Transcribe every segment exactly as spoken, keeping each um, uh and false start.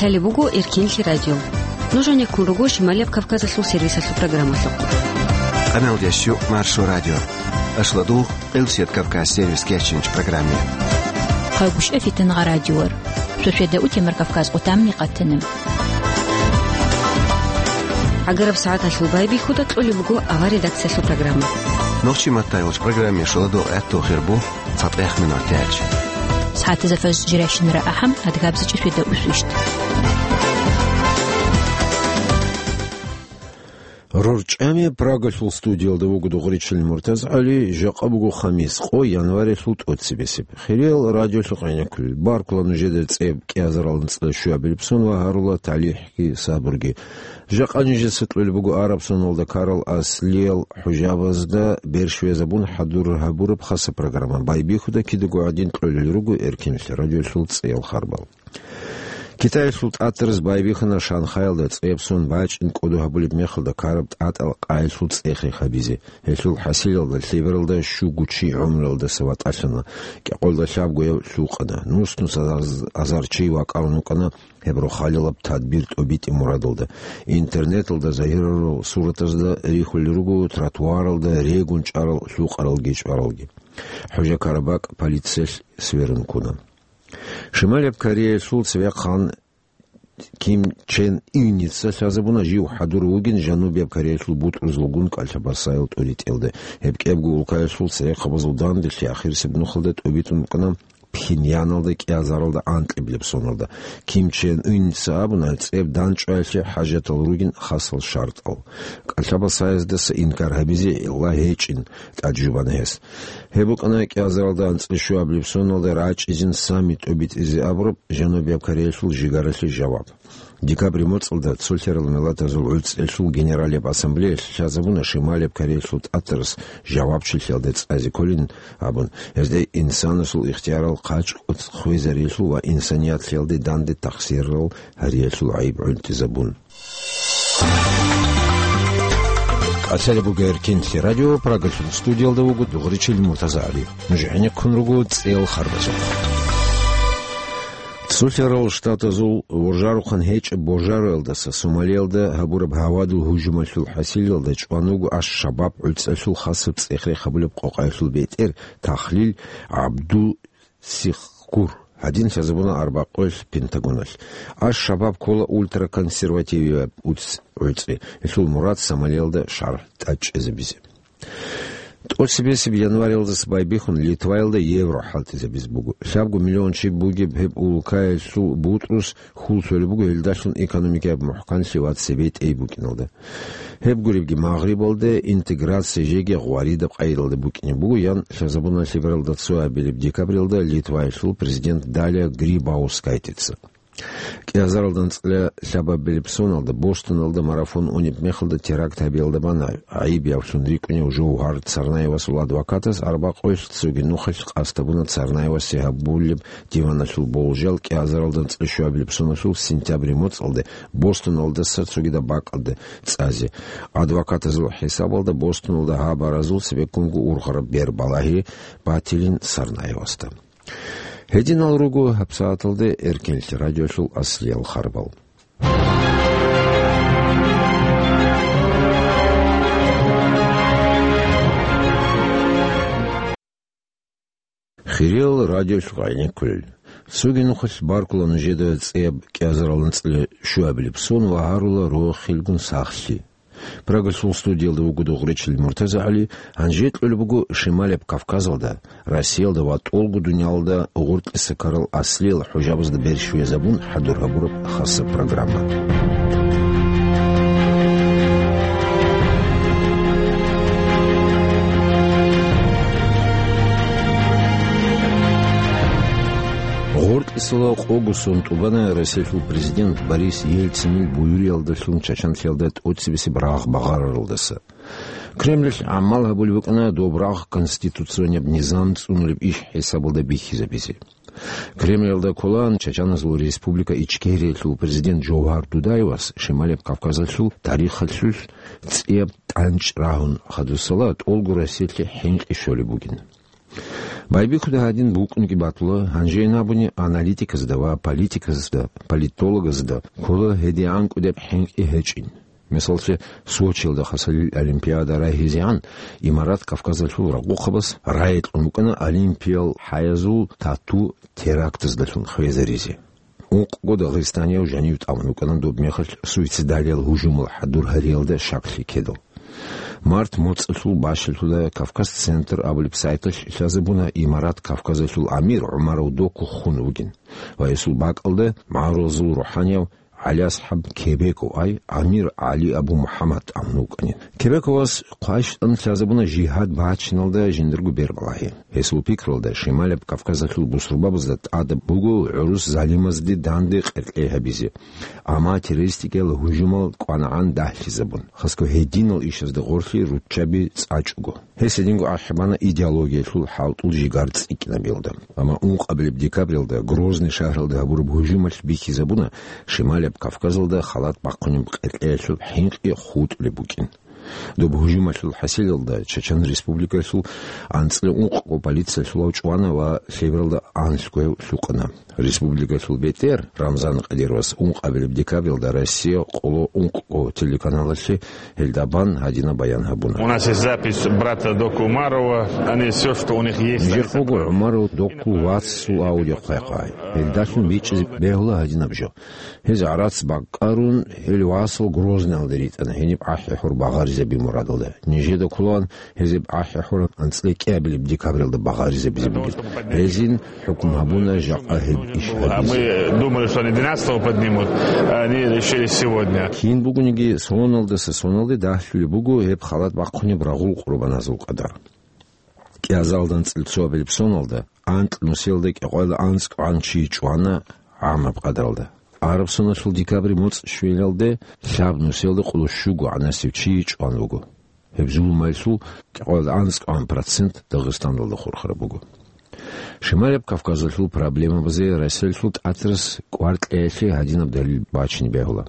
Гьале буго Эркинлъи радио. Нуж гьанеккун руго Шималияб Кавказалъул сервисалъул программалъухъ. Къаналдеш юкъ Маршо радио. Ашладул, Къилсият Кавказ сервис кечинч программе. Хъагушев Фитангъа радиор. Шошведа утемар Кавказ къутамни къатана. ГӀагараб сагӀаталъул байбихьуда кьолеб буго авар редакциялъул программа. Нохчи маттайолч программе шоладо гӀатту хирбу. ЦатӀех минут тяч. СагӀатазда фаз жиращинара ахӀам, адгабзичӀи шведа усвищт. РорчӀами Прагалъул студиялда вуго Дугъричил МуртазгӀали, жакъа буго хамис, къо январилъул тӀоцебесеб. Хириял радиолъухъ гӀенеккулел, баркула нужеда цӀеб кӀиазарал анцӀила щуабилеб сон ва гьарула талихӀги сабурги. Жакъа нижеца кьолеб буго араб соналда ккарал аслиял хӀужабазда берщвезабун хӀадур гьабураб хаса программа. Байбихьуда кидаго гӀадин кьолел руго Эркинлъи радиолъул цӀеял харбал. Китаялъул тӀатараз байбихьана Шанхаялда цӀеб сон бачӀин кӀодо гьабулеб мехалда ккараб тӀатӀал къайилъул цӀех-рех гьабизе. Гьелъул хӀасилалда лъебералда щуго чи гӀумруялдаса ватӀалъана, кӀикъоялда лъабгояв лъукъана. Нус-нус азар, азар чи вакӀарун вукӀана гьеб рохалилаб тадбир тӀобитӀи мурадалда. Интернеталда загьирарал суратазда рихьулел руго тротуаралда регун чӀарал лъукъаралги чӀваралги. ХӀужа-карабакӀ полициялъ сверун ккуна. Шималияб Кореялъул цевехъан Ким Чен Ынница лъазабуна жив хӀадур вугин Жанубияб Кореялъул бутӀрузлгун кӀалъабасаял тӀуритӀелда. Гьеб кӀебго улкаялъул церехъабазул данделъи ахирисеб нухалда тӀобитӀун букӀана Пхеньяналда кӀиазаралда анкьиблеб соналда. Ким Чен Ынница абуна, цӀеб данчӀваялъе хӀажатал ругин хасал шартӀал. КӀалъабасаздаса инкар гьабизе гӀилла гьечӀин тӀаде жубана гьес. Гьеб букӀана кӀиазаралда анцӀила щуабилеб соналда рачӀизин саммит тӀобитӀизе абураб Жанубияб Кореялъул жигаралъе жаваб. Декабрь моцӀалда цолъарал миллатазул гӀуцӀелъул Генералияб Ассамблеялъ лъазабуна Шималияб Кореялъул тӀатарас жавабчилъиялда цӀазе кколин абун, гьезда инсанасул ихтиярал хъачӀ-кӀоцӀ хвезариялъул ва инсанияталде данде тахсирал гьариялъул гӀайиб гӀунтӀизабун. КӀалъалеб буго Эркинлъи радио, Прагалъул студиялда вуго Дугъричил МуртазагӀали. Нуж гӀенеккун руго цӀеял харбазухъ. Цолъарал Штатазул воржарухъан гьечӀеб божароялдаса Сомалиялда гьабураб гьавадул гьужумалъул хӀасилалда чӀван вуго Аш-Шабаб гӀуцӀалъул хасаб цӀех-рех гьабулеб къокъаялъул бетӀер Тахлил ГӀабдул Сихкур. Гьадин лъазабуна арбакъоялъ Пентагоналъ. Аш-Шабаб ккола ультраконсервативияб уц-, гӀуцӀи. Гьелъул мурад Сомалиялда шаргӀ тӀадчӀезабизе. ТӀоцебесеб январилдаса байбихьун Литваялда евро хӀалтӀизабизе буго. Лъабго миллион чи бугеб гьеб улкаялъул бутӀрус хьул лъолеб буго гьелдалъун экономикаяб мухӀканлъи ва цебетӀей букӀиналда. Гьеб гуребги, Магърибалда интеграция жеги гъваридаб къайдалда букӀине буго, ян лъазабуна лъебералда цоабилеб декабрилда Литваялъул президент Далия Грибаускайтица. КӀиазаралда анцӀила лъабабилеб соналда Бостоналда марафон унеб мехалда теракт гьабиялда бана гӀайиб явлъун рикӀкӀунев Жовгьар Царнаевасул адвокатас арбакъоялъ цоги нухалъ къасд гьабуна Царнаевасе гьабулеб диваналъул болжал кӀиазаралда анцӀила щуабилеб соналъул сентябрь моцӀалде Бостоналдаса цогидаб бакӀалде цӀазе. Адвокатазул хӀисабалда Бостоналда гьабаразул цебеккунго ургъараб бер балагьи батилин Царнаевасда. Гьединал руго гьабсагӀаталде Эркинлъи радиолъул аслиял харбал. Хириял радиолъухъ гӀенеккулел. Цоги нухалъ баркула нужеда цӀеб кӀиазарал анцӀила щуабилеб сон ва гьарула рохелгун сахлъи. Прагалъул студиялда вуго Дугъричил МуртазагӀали, гьанже кьолеб буго Шималияб Кавказалда, Россиялда ва тӀолго дуниялалда гъоркьиса ккарал аслиял хӀужабазда берщвезабун хӀадур гьабураб хаса программа. Гъоркьисала къого сон тӀубана Россиялъул президент Борис Ельцинил буюриялдалъун Чачанлъиялда тӀоцебесеб рагъ багъараралдаса. Кремлалъ гӀамал гьабулеб букӀана доб рагъ конституционияб низам цӀунулеб иш хӀисабалда бихьизабизе. Кремлалда кколаан Чачаназул Республика Ичкериялъул президент Жовгьар Дудаевас Шималияб Кавказалъул тарихалъулъ цӀияб тӀанчӀ рагьун хадусала тӀолго Россиялъе хӀинкъи щолеб бугин. Байбихьуда гьадин букӀунги батула, гьанжейин абуни аналитиказда ва политиказда, политологазда ккола гьедигӀан кӀудеб хӀинкъи гьечӀин. Мисаллъе, Сочиялда хасалил Олимпиада рагьизегӀан, Имарат Кавказалъул рагъухъабаз рагӀи кьун букӀана олимпиял хӀаязул тату терактаздалъун хвезаризе. Ункъго дагъистанияв жанив тӀамун вукӀана доб мехалъ суицидалиял гьужумал хӀадур гьариялда щаклъи ккедал. Март моцӀалъул бащалъуда Кавказ-центр абулеб сайталъ лъазабуна Имарат Кавказалъул амир ГӀумаров Доку хун вугин ва гьесул бакӀалда магӀарулазул рухӀанияв ГӀалиасхӀаб Кебеков ай амир ГӀали Абу МухӀаммад тӀамун вукӀанин. Кебековас хъвай-щтӀан лъазабуна жигьад бачиналда жиндирго бер балагьи. Гьесул пикралда, Шималаб Кавказалъул бусурбабазда тӀадаб буго гӀурус залимазде данде къеркьей гьабизе, амма террористикиял гьужумал кӀванагӀан дагьлъизабун, хасго гьединал ишазда гъорлъи руччаби цӀачӀого. Гьес гьединго ахӀи бана идеологиялъул хӀалтӀул жигар цӀикӀкӀинабиялда. Амма ункъабилеб декабралда Грозный шагьаралда гьабураб гьужумалъ бихьизабуна Шималаб Кавказалда халат бахъунеб къеркьеялъул хӀинкъи хутӀулеб букӀин. Доб гьужумалъул хӀасилалда Чачан Республикалъул анцӀила ункъго полициялъулав чӀвана ва лъебералда анлъго гьев лъукъана. Республикалъул бетӀер Рамзан Кадировас ункъабилеб декабралда Россия къоло ункъго телеканалалъе гьелда бан гьадинаб баян гьабуна. У нас есть запись брата Дока Умарова. Они всё, что у них есть. Нижер къого ГӀумаров Докул вацасул аудиохъайкъай. Гьелдалъун бичӀчӀизе бегьула гьадинаб жо. Гьез гӀарац бакӀарун, гьел васал Грозныялде ритӀана, гьениб ахӀи-хӀур багъаризаби мурадалда. Нижеда кколаан гьезеб ахӀи-хӀур анцӀила кӀиабилеб декабралда багъаризабизе бугеб. Гьезин хӀукму гьабуна жакъа гьеб иш гьабизе. Мы думали, что они двенадцатого поднимут, а они решили сегодня. Кин бугониги, соналдаса соналде дагьлъулеб буго гьеб халат бахъунеб рагъул къурбаназул къадар. КӀиазалда анцӀила цоабилеб соналда анкь нусиялда кӀикъоялда анцӀкӀван чи чӀвана гӀамаб къадралда. Араб соналъул декабрь моцӀ щвелалде лъаб нусиялда къоло щуго гӀанасев чи чӀван вуго. Гьеб зулумалъул кӀикъоялда анцӀкӀван процент Дагъистаналда хурхараб буго. Шималаб Кавказалъул проблемабазе Россиялъул тӀатарас кӀвар кьеялъе гьадинаб далил бачине бегьула.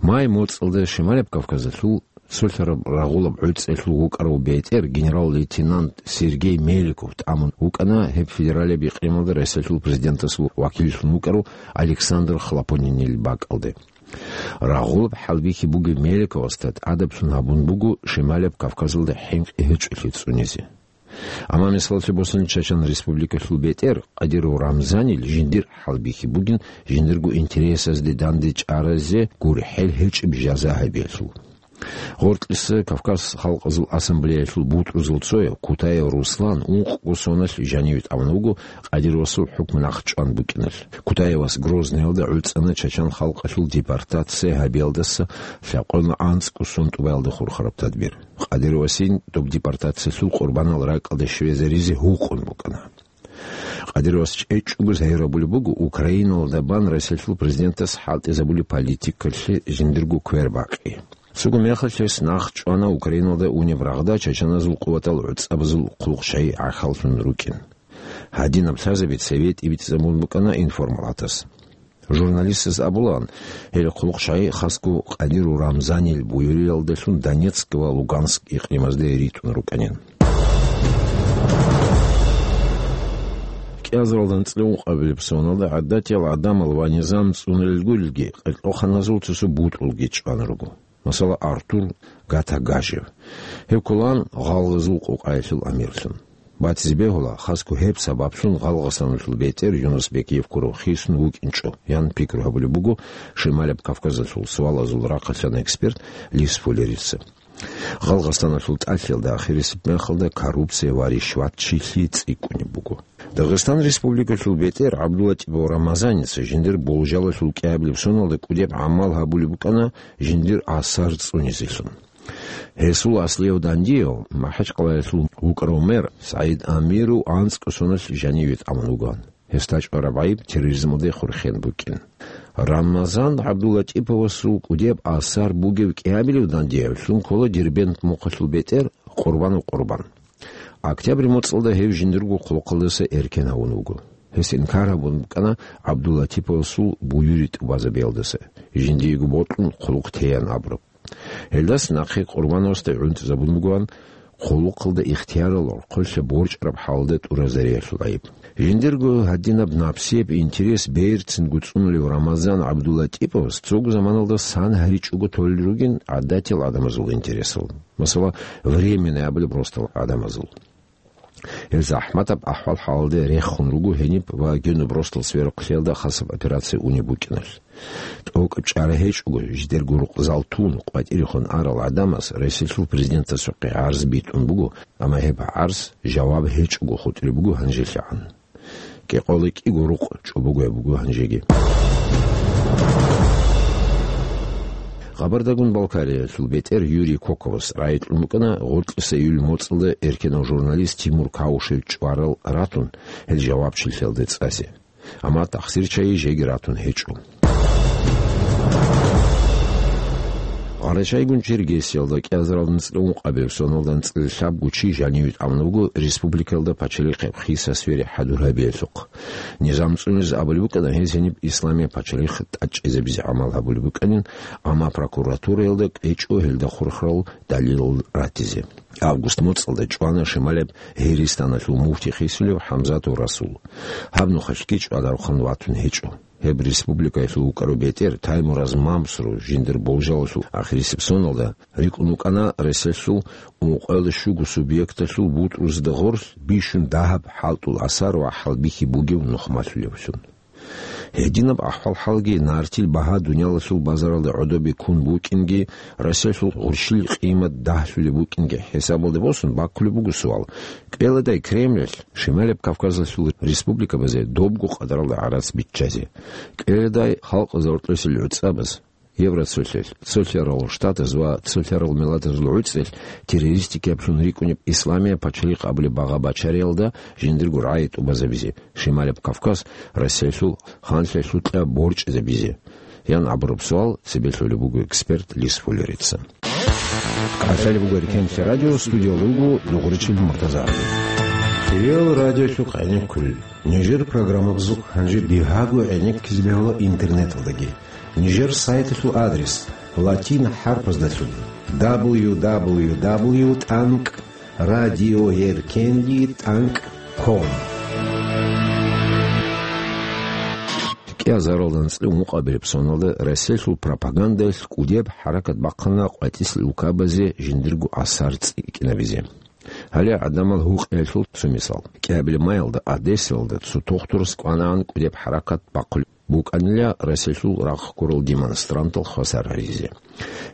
Май моцӀалда Шималаб Кавказалъул цолъараб рагъулаб гӀуцӀиялъул вукӀарав бетӀер генерал-лейтенант Сергей Меликов тӀамун вукӀана гьеб федералияб икълималда Россиялъул президентасул вакиллъун вукӀарав Александр Хлопонинил бакӀалде. Рагъулаб хӀалбихьи бугев Меликовасда тӀадаблъун гьабун буго Шималаб Кавказалда хӀинкъи гьечӀолъи цӀунизе. Амма мисаллъи босани, Чачан Республикалъул бетӀер Кадиров Рамзанил жиндир хӀалбихьи бугин жиндирго интересазде данде чӀаразе гурхӀел гьечӀеб жаза гьабиялъул. Гъоркьиса Кавказ халкъазул ассамблеялъул бутӀрузул цояв Кутаев Руслан ункъго соналъ жаниве тӀамун вуго Кадировасул хӀукму нахъчӀван букӀиналъ. Кутаевас Грозныялда гӀуцӀана чачан халкъалъул депортация гьабиялдаса лъабкъоялда анцӀго сон тӀубаялда хурхараб тадбир. Кадировасин доб депортациялъул къурбанал ракӀалде щвезаризе гьукъун букӀана. Кадировас чӀечӀого загьир гьабулеб буго Украиналда бан Россиялъул президентас хӀалтӀизабулеб политикалъе жиндирго квер бакъи. Цого мехалъ гьес нахъ чӀвана Украиналда унеб рагъда чачаназул къуватал гӀуцӀабазул хъулухъ-щай гӀахьаллъун рукӀин. Гьадинаб лъазаби цеве тӀибитӀизабун букӀана информалатас. Журналистаз абулаан, гьел хъулухъ-щай хасго Кадиров Рамзанил буюриялдалъун Донецк ва Луганск икълимазде ритӀун рукӀанин. КӀиазаралда анцӀила ункъабилеб соналда гӀадатиял гӀадамал ва низам цӀунулел гурелги, къеркьоханазул цо-цо бутӀрулги чӀван руго. Масала, Артур Гатагажев. Гьев кколаан гъалгъазул къокъаялъул амирлъун. Батизе бегьула, хасго гьеб сабаблъун Гъалгъасаналъул бетӀер Юнус Бекиев ккурав хисун вукӀинчӀо, ян пикру гьабулеб буго Шималаб Кавказалъул суалазул рахъалъан эксперт Лис Фуллерица. Гъалгъасаналъул тӀалъиялда ахирисеб мехалда коррупция ва ришватчилъи цӀикӀкӀунеб буго. Дагъистан Республикалъул бетӀер ГӀабдуллатӀипов Рамазаница жиндир болжалалъул кӀиабилеб соналда кӀудеб гӀамал гьабулеб букӀана жиндир асар цӀунизелъун. Гьесул аслияв дандияв, МахӀачкъалаялъул вукӀарав мэр СагӀид Амиров анцӀго соналъ жаниве тӀамун вугоан. Гьесда чӀвараб гӀайиб терроризмалде хурхен букӀин. Рамазан ГӀабдуллатӀиповасул кӀудияб асар бугев кӀиабилев дандиявлъун ккола Дербент мухъалъул бетӀер Къурбанов Къурбан. Октябрь моцӀалда гьев жиндирго хъулухъалдаса эркен гьавун вуго. Гьес инкар гьабун букӀана ГӀабдуллатӀиповасул буюри тӀубазабиялдаса, жиндиего бокьун хъулухъ тейан абураб. Гьелдаса нахъе Къурбановасда гӀунтӀизабун бугоан хъулухъалда ихтиярал гӀорхъолъа борчӀараб хӀалалда тӀуразариялъул гӀайиб. Жиндирго гьадинаб напсияб интерес берцинго цӀунулев Рамазан ГӀабдуллатӀиповас цого заманалда сан гьаричӀого толел ругин гӀадатиял гӀадамазул интересал, масала, временный абулеб ростал гӀадамазул. Гьел захӀматаб ахӀвал-хӀалалде рехун руго гьениб ва гьениб ростал сверухълъиялда хасаб операция унеб букӀиналъ. ТӀокӀаб чӀара гьечӀого, жидерго рукъзал тун, къватӀирехун арал гӀадамаз Россиялъул президентасухъе гӀарз битӀун буго, амма гьеб гӀарз жаваб гьечӀого хутӀулеб буго гьанжелъагӀан. КӀикъоялда кӀиго рукъ чӀобогояб буго гьанжеги. Кабардагун-Балкариялъул бетӀер Юрий Коковас рагӀи кьун букӀана гъоркьиса июль моцӀалда эркенав журналист Тимур Каушев чӀварал ратун, гьел жавабчилъиялде цӀазе. Амма тахсирчагьи жеги ратун гьечӀо. Къарачайгун Чергесиялда кӀиазаралда анцӀила ункъабилеб соналда анцӀила лъабго чи жаниве тӀамун буго республикаялда пачалихъ хисасвере хӀадур гьабиялъухъ. Низам цӀунизе абулеб букӀана гьез гьениб исламияб пачалихъ тӀадчӀезабизе гӀамал гьабулеб букӀанин, амма прокуратураялда кьечӀо гьелда хурхарал далилал ратизе. Август моцӀалда чӀвана шималаб Гьиристаналъул муфти хисулев ХӀамзатов Расул. Гьаб нухалъги чӀвадарухъан ватун гьечӀо. Гьеб республикаялъул вукӀарав бетӀер Таймураз Мамсуров жиндир болжалалъул ахирисеб соналда рикӀкӀун вукӀана Россиялъул ункъоялда щуго субъекталъул бутӀрузда гъорлъ бищун дагьаб хӀалтӀул асар ва хӀалбихьи бугев нухмалъулевлъун. Гьединаб ахӀвал-хӀалги нартил багьа дуниялалъул базаралда гӀодобе ккун букӀинги, Россиялъул гъурщил къимат дагьлъулеб букӀинги хӀисабалде босун баккулеб буго суал: кӀвеладай Кремлалъ Шималаб Кавказалъул республикабазе добго къадаралда гӀарац биччазе? КӀвеладай халкъ гьоркьосан гӀуцӀабаз, Евроцолъалъ, Цолъарал Штатаз ва Цолъарал Миллатазул ГӀуцӀралъ террористикаблъун рикӀкӀунеб исламияб пачалихъ абулеб багъа бачариялда жиндирго рагӀи тӀубазабизе, Шималаб Кавказ Россиялъул ханлъиялъукьа борчӀизабизе? Ян абураб суал цебе лъолеб буго эксперт Лис Фуллерица. КӀалъалеб буго Эркенлъи радио, студиялда вуго Дугъричил Муртазагьаби. Кирил радиолъухъ гӀенеккулел. Нижер программабазухъ гьанже бигьаго гӀенеккизе бегьула интернеталдаги. Нижер сайталъул адрес латин хӀарпаздалъун: дабл ю дабл ю дабл ю тӀанкӀ радиоэркенлъи тӀанкӀ ком. КӀиазаралда анцӀила ункъабилеб соналда Россиялъул пропагандалъ кӀудеб хӀаракат бахъана къватӀисел улкабазе жиндирго асар цӀикӀкӀинабизе. Гьале гӀадамал гьукъиялъул цо мисал. КӀиабилеб маялда Одессаялда цо тохтурас кӀванаан кӀудеб хӀаракат бахъулеб букӀанила Россиялъул рахъ ккурал демонстрантал хвасар гьаризе.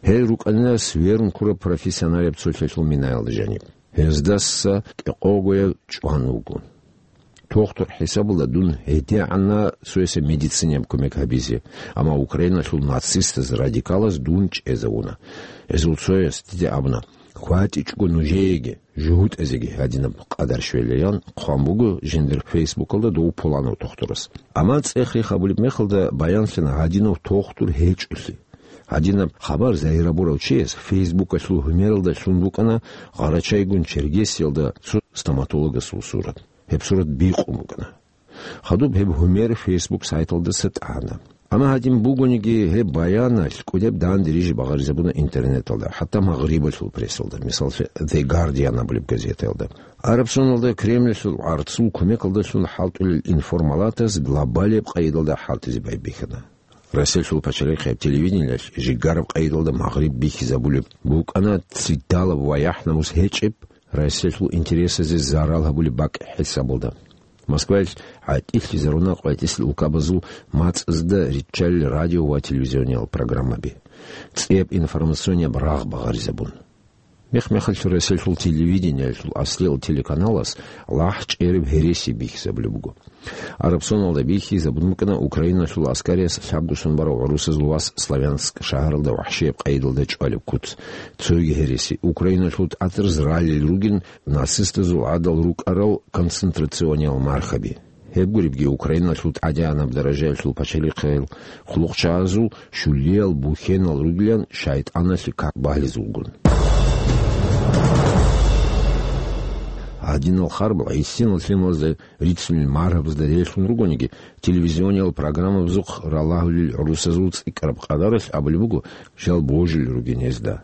Гьел рукӀанила сверун ккураб профессионалияб цолъалъул минаялда жаниб. Гьездаса кӀикъогояв чӀван вуго. Тохтур хӀисабалда дун гьедигӀанна цоясе медицинаяб кумек гьабизе, амма Украиналъул нацистаз-радикалаз дун чӀезавуна. Гьезул цояс дида абуна: «КватӀичӀого нужееги, жугьутӀазеги гьадинаб къадар щвелаян», — хъван буго жиндир Фейсбукалда дов пуланав тохтурас. Амма цӀех-рех абулеб мехалда баянлъана гьадинав тохтур гьечӀолъи. Гьадинаб хабар загьир гьабурав чияс Фейсбукалъул гьумералда лъун букӀана Гъарачайгун Чергесиялда цо стоматологасул сурат. Гьеб сурат бикъун букӀана. Хадуб гьеб гьумер Фейсбук сайталдаса тӀана. Амма гьадин бугониги, гьеб баяналъ кӀудеб данде рижи багъаризабуна интернеталда, хӀатта Магърибалъул прессалда, мисаллъи, The Guardian абулеб газетаялда. Араб соналда Кремльалъул гӀарцул кумекалдалъун хӀалтӀулел информалатаз глобалияб къайдалда хӀалтӀизе байбихьана. Россиялъул пачалихъияб телевидениялъ жигараб къайдалда Магъриб бихьизабулеб букӀана цидалаб ва яхӀ-намус гьечӀеб, Россиялъул интересазе зарал гьабулеб бакӀ хӀисабалда. Москваялъ гӀатӀилъизаруна къватӀисел улкабазул мацӀазда риччалел радио ва телевизиониял программаби, цӀияб информационияб рагъ багъаризабун. Мех-мехалъ Россиялъул телевидениялъул аслиял телеканалас лахӀ чӀераб гьереси бихьизабулеб буго. Араб соналда бихьизабун букӀана Украиналъул аскариялъ лъабго сон барав гӀурусазул вас Славянск шагьаралда вахӀшияб къайдалда чӀвалеб куц. Цоги гьереси: Украиналъул тӀатараз ралел ругин нацистазул гӀадал рукӀарал концентрациониял мархаби. Гьеб гуребги, Украиналъул тӀадегӀанаб даражаялъул пачалихъал хъулухъчагӀазул щулиял бухьенал ругилан шайтӀаналъе как балъизулгун. Гьадинал харбал гӀисинал лъималазда рицунел маргьабазда релълъун ругониги, телевизиониял программабазухъ ралагьулел гӀурусазул цӀикӀкӀараб къадаралъ абулеб буго, жал божулел ругин гьезда.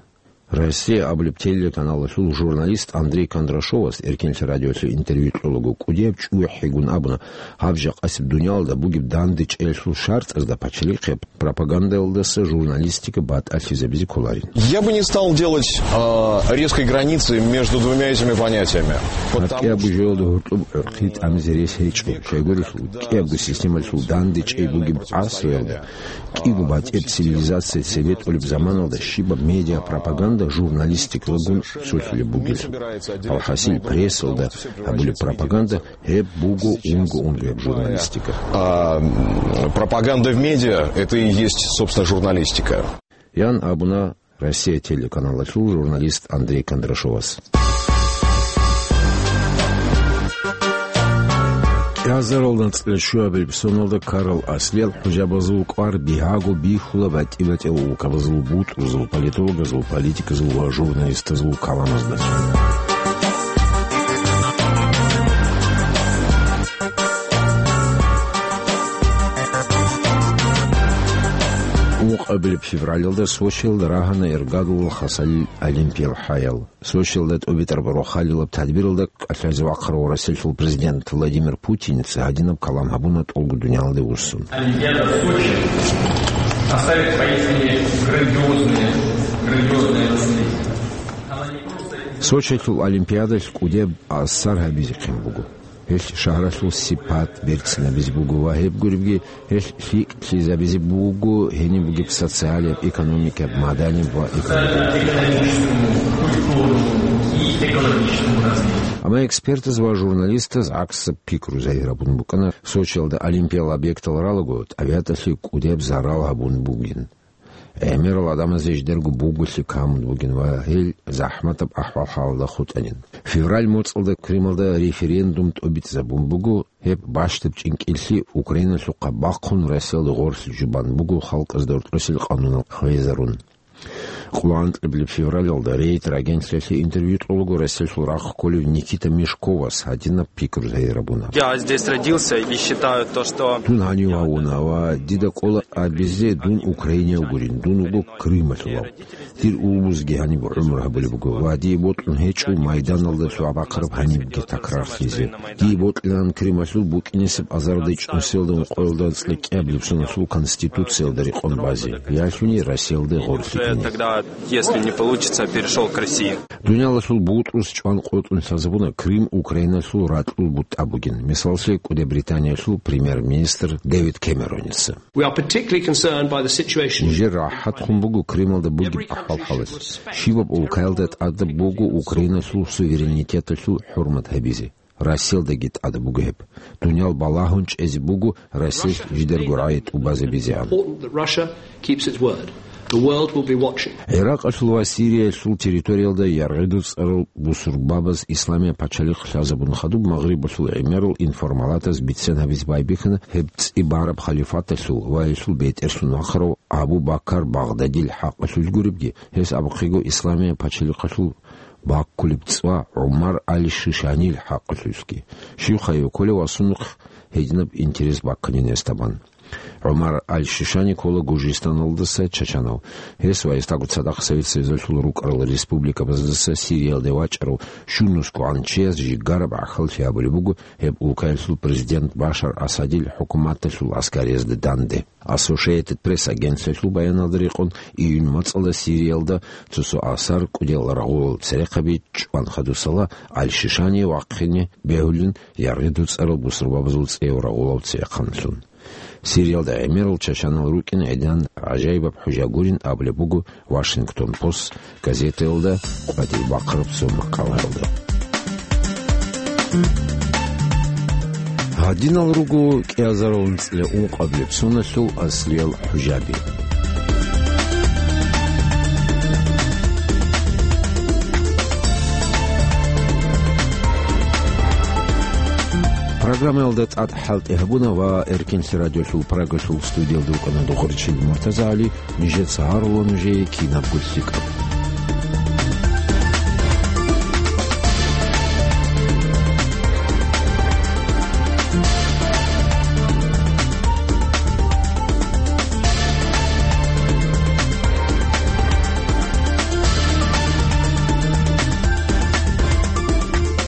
«Россия» абулеб телеканалалъул журналист Андрей Кондрашовас Эркенлъи радиолъе интервью кьолаго кӀудияб чӀухӀигун абуна, гьаб жакъасеб дуниялалда бугеб дандечӀеялъул шартӀазда пачалихъе пропагандалдаса журналистика батӀалъизабизе кколарин. Я бы не стал делать, а, резкой границы между двумя этими понятиями. Гьаб кӀиябго жоялда гьоркьоб гӀорхъи тӀамизе рес гьечӀо. Щайгурелъул, кӀиябго системалъул дандечӀей бугеб гӀасруялда, кӀиго батӀияб цивилизация цебетӀулеб заманалда щибаб медиапропаганда журналистикалагун цолъулеб бугелъул. Алхасил, прессалда гьабулеб пропаганда гьеб буго унго-унгояб журналистика. А, м, пропаганда в медиа — это и есть, собственно, журналистика. Ян абуна «Россия» телеканалалъул журналист Андрей Кондрашовас. КӀиазаралда анцӀила щуабилеб соналда ккарал аслиял хӀужабазул кӀвар бигьаго бихьула батӀи-батӀиял улкабазул бутӀрузул, политологазул, политиказул ва журналистазул каламазда. Ункъабилеб февралалда Сочиялда рагьана Эргадулал Хасалил олимпиял хӀаял. Сочиялда тӀубитӀараб рохалилаб тадбиралда кӀалъазе вахъарав Россиялъул президент Владимир Путиница гьадинаб калам гьабуна тӀолго дуниялалде вуссун. Олимпиада в Сочи оставит поистине грандиозные, грандиозные наследия. Сочиялъул олимпиадалъ кӀудияб асар гьабизехъин буго. Гьелъ шагьаралъул сипат берцинабизе буго ва гьеб гуребги гьелъ лъикӀлъизабизе буго гьениб бугеб социалияб, экономикаяб, маданияб ва экологияб. Амма экспертаз ва журналистаз гӀаксаб пикру загьир гьабун букӀана, Сочиялда олимпиял объектал ралаго, тӀабигӀаталъе кӀудияб зарал гьабун бугин. ГӀемерал гӀадамазе жидерго бугулъи камун бугин ва гьел захӀматаб ахӀвал-хӀалалда хутӀанин. Февраль моцӀалда Крымалда референдум тӀубитӀизабун буго, гьеб бащдаб чӀинкӀиллъи Украиналъухъа бахъун Россиялда гъорлъ жубан буго халкъазда рокьосел къанунал хвезарун. Къоло анкьабилеб февралалда Рейтер агентлъиялъе интервью кьолаго Россиялъул рахъ кколев Никита Мешковас гьадинаб пикру загьир гьабуна. Я здесь родился и считаю то, что... Дун гьанив гьавуна ва дида кӀола абизе дун украинияв гурин, дун вуго Крымалъулав. Дир улбузги гьаниб гӀумру гьабулеб буго ва дие бокьун гьечӀо майданалда лъугӀа-бахъараб гьанибги такрарлъизе. Дие бокьилаан Крымалъул букӀинесеб азарда чӀунсиялда ункъоялда анцӀила кӀиабилеб соналъул Конституциялда рекъон базе, ялъуни Россиялда гъорлъ ккезе. Тогда, если не получится, перешёл к России. Дуниялалъул бутӀрус чӀван къотӀун лъазабуна Крым Украиналъул ракьул бутӀа бугин, мисаллъе, КӀуди Британиялъул премьер-министр Дэвид Кэмероница. We are particularly concerned by the situation. Нижер рахӀатхун буго Крымалда бугеб ахӀвал-хӀалалъ. Щибаб улкаялда тӀадаб буго Украиналъул суверенитеталъул хӀурмат гьабизе. Россиялдаги тӀадаб буго гьеб. Дуниял балагьун чӀезе буго Россиялъ жидерго рагӀи тӀубазабизегӀан. Important that Russia keeps its word. The world will be watching. ГӀиракъалъул ва Сириялъул территориялда яргъиду цӀарал бусурбабаз исламияб пачалихъ лъазабун хадуб Магърибалъул гӀемерал информалатаз бицен гьабизе байбихьана гьеб цӀибараб халифаталъул ва гьелъул бетӀерлъун вахъарав Абу Бакар Багъдадил хӀакъалъулъ гуребги, гьес абухъего исламияб пачалихъалъул баккулеб цӀва ГӀумар аль-Шишанил хӀакъалъулъги. Щив хайи кколев ва сундухъ гьединаб интерес бакканин гьесда бан. ГӀумар аль-Шишани ккола Гужистаналдаса чачанав. Гьес ва гьесдаго цадахъ Совет Союзалъул рукӀарал республикабаздаса Сириялде вачӀарав щунусгогӀан чияс жигараб гӀахьаллъи гьабулеб буго гьеб улкаялъул президент Башар Асадил хӀукуматалъул аскариязда данде. Associated Press агентлъиялъул баяналда рекъон, июнь моцӀалда Сириялда цо-цо асар кӀудиял рагъулал церехъаби чӀван хадусала аль-Шишани вахъине бегьулин яргъиду цӀарал бусурбабазул цӀеяв рагъулав церехъанлъун. Сириялда гӀемерал чачанал рукӀин гӀединан гӀажаибаб хӀужа гурин абулеб буго Вашингтон Пост газетаялда къватӀиб бахъараб цо макъалаялда. Гьадинал руго кӀиазарал анцӀила ункъабилеб соналъул аслиял хӀужаби. Программаялда тӀад хӀалтӀи гьабуна ва Эркенлъи радиолъул Прагалъул студиялда рукӀана Духарчил МуртазагӀали, нижеца гьарула нужее кинабго лъикӀаб.